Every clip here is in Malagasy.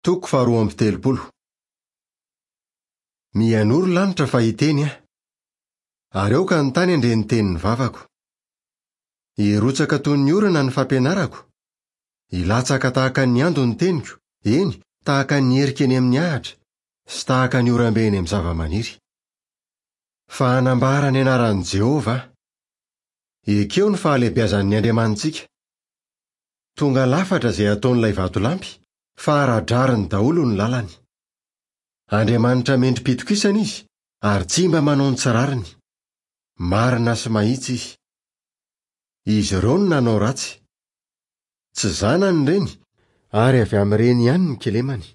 Toko faharoa amby 30. Mihainoa ry lanitra fa hiteny aho. Ary aoka ny tany handre ny tenin'ny vavako. Hirotsaka toy ny orana ny fampianarako, hilatsaka tahaka ny ando ny teniko, eny, tahaka ny erika eny amin'ny ahitra, sy tahaka ny oram-be eny amin'ny zavamaniry. Fa hanambara ny anaran'i Jehovah aho. Ekeo ny fahalehibiazan'ny Andriamanitsika. Tonga lafatra izay ataon'ilay vatolampy, fa ara-drariny daholo ny lalany. Andriamanitra mendri-pitokisana izy ary tsy mba manao ny tsy rariny. Marina sy mahitsy izy. Izy ireo no nanao ratsy. Tsy zanany ireny, ary avy amin'ireny ihany ny kilemany.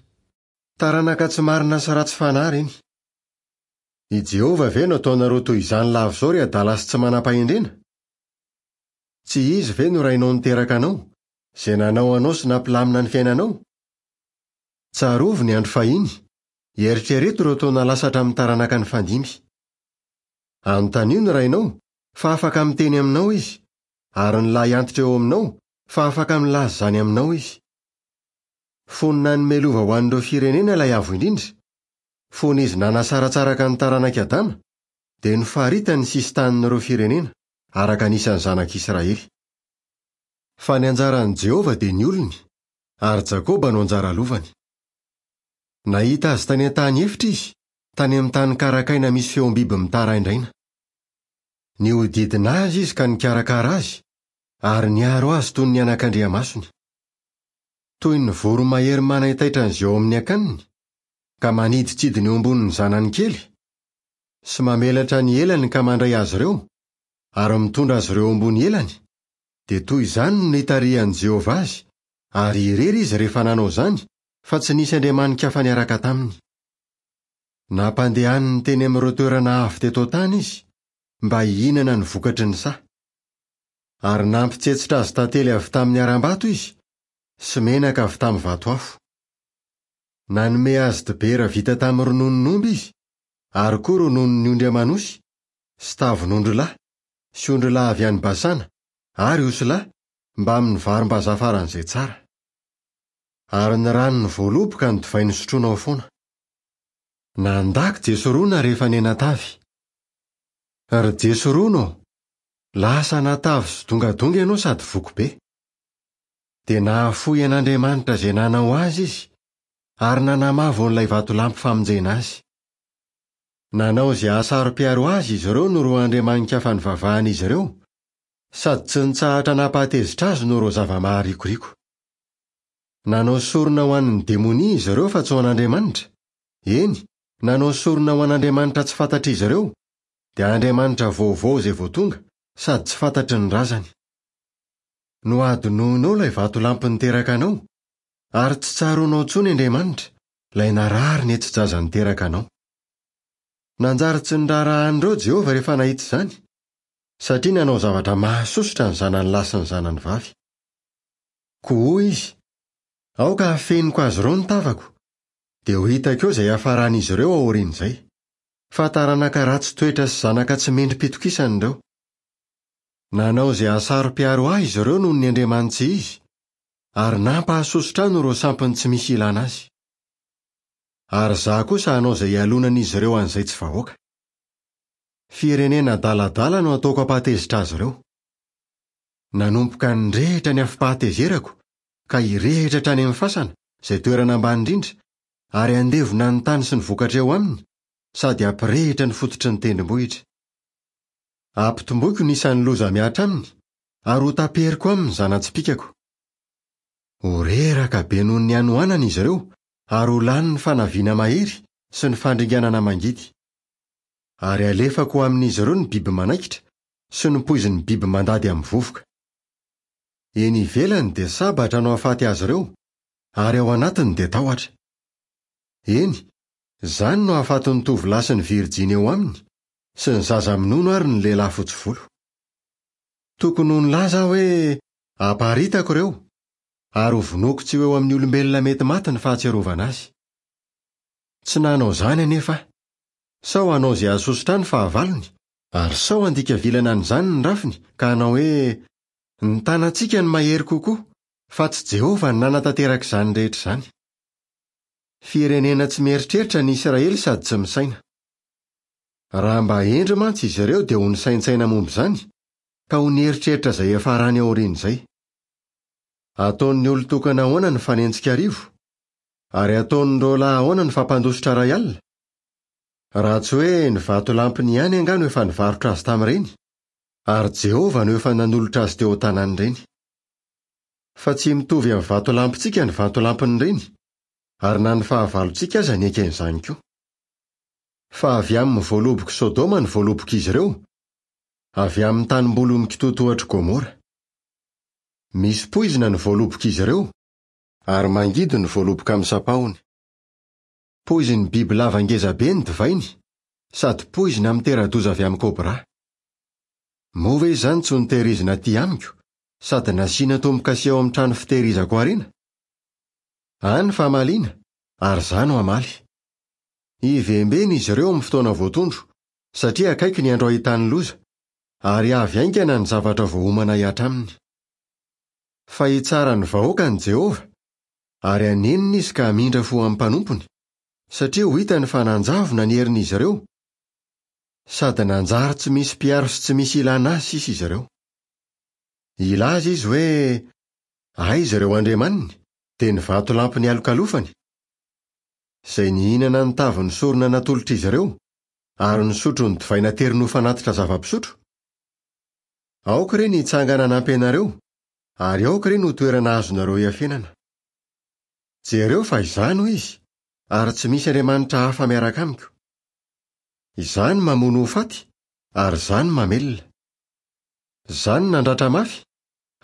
Taranaka tsy marina sy ratsy fanahy ireny. I Jehovah ve no ataonareo toy izany lava izao ry adala sy tsy manam-pahendrena? Tsy Izy ve no Rainao niteraka anao, izay nanao anao sy nampilamina ny fiainanao? Tsarovy ny andro fahiny, eritrereto ireo taona lasa hatramin'ny taranaka nifandimby. Anontanio ny rainao, fa afaka miteny aminao izy, ary ny lahy antitra eo aminao, fa afaka milaza izany aminao izy. Fony nanome lova ho an'ireo firenena ilay Avo Indrindra, fony izy nanasaratsaraka ny taranak'i Adama, dia nofaritany ny sisin-tanin'ireo firenena, araka ny isan'ny zanak'Israely. Fa ny anjaran'i Jehovah dia ny olony, ary Jakoba no anjara lovany. Nahita azy tany an-tany efitra izy, tany amin'ny tany karakaina misy feom-biby mitaraindraina. Nihodidina azy izy ka nikarakara azy, ary niaro azy toy ny anakandriamasony. Toy ny voromahery manaitaitra an'izay ao amin'ny akaniny, ka manidintsidina eo ambonin'ny zanany kely, sy mamelatra ny elany ka mandray azy ireo, ary mitondra azy ireo ambony elany, dia toy izany no nitarihan'i Jehovah azy, ary irery izy rehefa nanao izany, fa tsy nisy andriamani-kafa niaraka taminy. Nampandehaniny teny amin'ireo toerana avo teto an-tany izy, mba hihinana ny vokatry ny saha. Ary nampitsetsitra azy tantely avy tamin'ny harambato izy, sy menaka avy tamin'ny vato afo. Nanome azy dibera vita tamin'ny rononon'omby izy, ary koa rononon'ny ondry aman'osy, sy tavin'ondrilahy, sy ondrilahy avy any Basana, ary osilahy, mbamin'ny varim-bazaha faran'izay tsara. Ary ny ranon'ny voaloboka no divay nosotroinao foana. Nandako Jesorona rehefa nianatavy. Ry Jesorona ô, lasa natavy sy dongadonga ianao sady voky be. Dia nahafoy an'Andriamanitra izay nanao azy izy, ary nanamavo an'ilay vatolampy famonjena azy. Nanao izay hahasaro-piaro azy izy ireo noho ireo andriamani-kafa nivavahan'izy ireo, sady tsy nitsahatra nampahatezitra azy noho ireo zava-maharikoriko. Nanao sorona ho an'ny demonia izy ireo fa tsy ho an'Andriamanitra, eny, nanao sorona ho an'andriamanitra tsy fantatr'izy ireo, dia andriamanitra vaovao izay vao tonga sady tsy fantatry ny razany. Nohadinoinao ilay vatolampy niteraka anao, ary tsy tsaroanao intsony Andriamanitra, ilay narary nihetsi-jaza niteraka anao. Nanjary tsy niraharaha an'ireo Jehovah rehefa nahita izany, satria nanao zavatra mahasosotra ny zanany lahy sy ny zanany vavy. Koa hoy izy, Aoka hafeniko azy ireo ny tavako, dia ho hitako eo izay hiafaran'izy ireo aorian'izay. Fa taranaka ratsy toetra sy zanaka tsy mendri-pitokisana ireo. Nanao izay hahasaro-piaro ahy izy ireo noho ny andriamani-tsy izy, ary nampahasosotra ahy noho ireo sampiny tsy misy ilana azy. Ary izaho kosa hanao izay hialonan'izy ireo an'izay tsy vahoaka. Firenena adaladala no hataoko hampahatezitra azy ireo. Nanomboka nirehitra ny afom-pahatezerako, ka hirehitra hatrany amin'ny fasana, izay toerana ambany indrindra, ary handevona ny tany sy ny vokatra eo aminy, sady hampirehitra ny fototry ny tendrombohitra. Hampitomboiko ny isan'ny loza mihatra aminy, ary hotaperiko aminy ny zana-tsipìkako. Ho reraka be noho ny hanoanana izy ireo, ary ho lany ny fanaviana mahery sy ny fandringanana mangidy. Ary halefako ho amin'izy ireo ny biby manaikitra sy ny poizin'ny biby mandady amin'ny vovoka. Eny ivelany dia sabatra no hahafaty azy ireo, ary ao anatiny dia tahotra. Eny, izany no hahafaty ny tovolahy sy ny virjiny eo aminy, sy ny zaza minono ary ny lehilahy fotsy volo. Tokony ho nilaza aho hoe, Aparitako ireo, ary hovonoiko tsy ho eo amin'ny olombelona mety maty ny fahatsiarovana azy. Tsy nanao izany anefa aho, sao hanao izay hahasosotra ahy ny fahavalony, ary sao handika vilana an'izany ny rafiny ka hanao hoe, Ny tanantsika no mahery kokoa, fa tsy Jehovah no nanatanteraka izany rehetra izany. Firenena tsy mieritreritra ny Israely sady tsy misaina. Raha mba hendry mantsy izy ireo dia ho nisaintsaina momba izany, ka ho nieritreritra izay hiafarany aorian'izay. Ataon'ny olon-tokana ahoana ny fanenjika arivo? Ary ataon'ny roalahy ahoana ny fampandositra iray alina? Raha tsy hoe ny vatolampiny ihany angaha no efa nivarotra azy tamin'ireny, ary Jehovah no efa nanolotra azy teo an-tanan'ireny. Fa tsy mitovy amin'ny vatolampintsika ny vatolampin'ireny, ary na ny fahavalontsika aza niaiky an'izany koa. Fa avy amin'ny voalobok'i Sodoma ny voalobok'izy ireo, avy amin'ny tanimboly mikitoatohatr'i Gomora. Misy poizina ny voalobok'izy ireo, ary mangidy ny voaloboka amin'ny sampahony. Poizin'ny bibilava ngezabe ny divainy, sady poizina mitera-doza avy amin'ny kôbrà. Moa ve izany tsy ho notehirizina aty amiko, sady nasiana tombo-kase ao amin'ny trano fitehirizako harena? Any famaliana, ary izaho no hamaly. Hivembena izy ireo amin'ny fotoana voatondro, satria akaiky ny andro hahitany loza, ary avy haingana ny zavatra voaomana hihatra aminy. Fa hitsara ny vahoakany Jehovah, ary hanenina izy ka hamindra fo amin'ny mpanompony, satria ho hitany fa nanjavona ny herin'izy ireo, sady nanjary tsy misy mpiaro sy tsy misy ilana azy sisa izy ireo. Hilaza izy hoe, Aiza ireo andriamaniny, dia ny vatolampy nialokalofany? Izay nihinana ny tavin'ny sorona natolotr'izy ireo, ary nisotro ny divay nateriny ho fanatitra zava-pisotro? Aoka re ny hitsangana hanampy anareo, ary aoka re ny ho toerana azonareo iafenana. Jereo fa Izaho no Izy, ary tsy misy andriamanitra hafa miaraka amiko. Izaho no mamono ho faty, ary Izaho no mamelona. Izaho no nandratra mafy,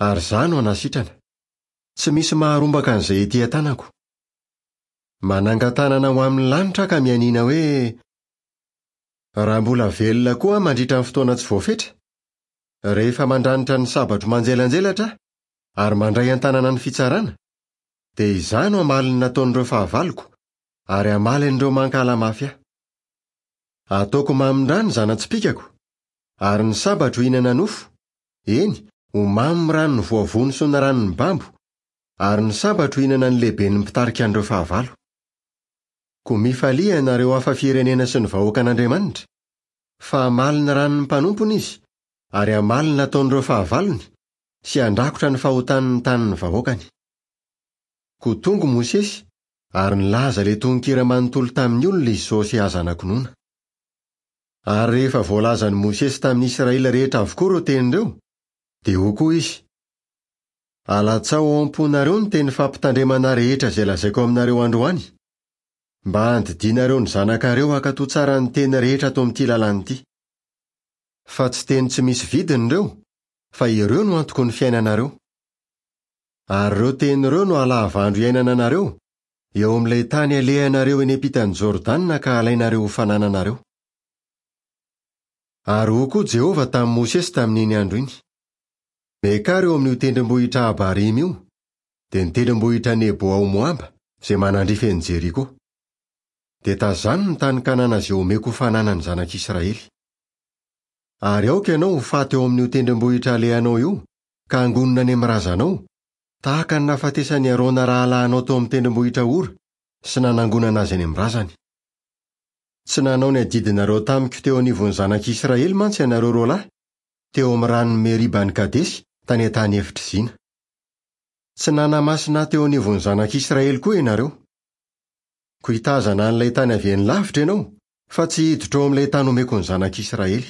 ary Izaho no hanasitrana. Tsy misy maharombaka an'izay ety an-tanako. Manangan-tanana ho amin'ny lanitra aho ka mianiana hoe, Raha mbola velona koa aho mandritra ny fotoana tsy voafetra, rehefa mandranitra ny sabatro manjelanjelatra aho ary mandray an-tanana ny fitsarana, dia izaho no hamaly ny nataon'ireo fahavaloko ary hamaly an'ireo mankahala mafy ahy. Hataoko mamin-dra ny zana-tsipìkako, ary ny sabatro hihinana nofo, eny, ho mamy ny ran'ny voavono sy ny ran'ny babo, ary ny sabatro hihinana ny lehiben'ny mpitarika an'ireo fahavalo. Koa mifalia ianareo hafa firenena sy ny vahoakan'Andriamanitra, fa hamaly ny ran'ny mpanompony izy, ary hamaly ny nataon'ireo fahavalony, sy handrakotra ny fahotany ny tanin'ny vahoakany. Koa tonga Mosesy, ary nilaza ilay tononkira manontolo tamin'ny olona izy sy Hosea zanak'i Nona. Ary rehefa voalazan'i Mosesy tamin'ny Israely rehetra avokoa ireo teny ireo, dia hoy koa izy, Alatsaho ao am-ponareo ny teny fampitandremana rehetra izay lazaiko aminareo androany, mba handidianareo ny zanakareo hankatò tsara ny teny rehetra ato amin'ity lalàna ity. Fa tsy teny tsy misy vidiny ireo, fa ireo no antoky ny fiainanareo. Ary ireo teny ireo no halahavandro iainana anareo, eo amin'ilay tany alehanareo eny ampitan'i Jordana ka halainareo ho fanananareo. Ary hoy koa Jehovah tamin'i Mosesy tamin'iny andro iny, Miakara eo amin'io tendrombohitra Abarima io, dia ny tendrombohitra Nebo ao Moaba, izay manandrify an'i Jeriko. Dia tazano ny tany Kanana izay omeko ho fananan'ny zanak'Israely. Ary aoka ianao ho faty eo amin'io tendrombohitra alehanao io, ka hangonina any amin'ny razanao, tahaka ny nahafatesan'i Arona rahalahinao teo amin'ny tendrombohitra Hora sy nanangonana azy any amin'ny razany. Tsy nanao ny adidinareo tamiko teo anivon'ny zanak'Israely mantsy ianareo roalahy, teo amin'ny ranon'i Meriba any Kadesy, tany an-tany efitr'i Zina. Tsy nanamasina ahy teo anivon'ny zanak'Israely koa ianareo. Koa hitazana an'ilay tany avy eny lavitra ianao, fa tsy hiditra ao amin'ilay tany omeko ny zanak'Israely.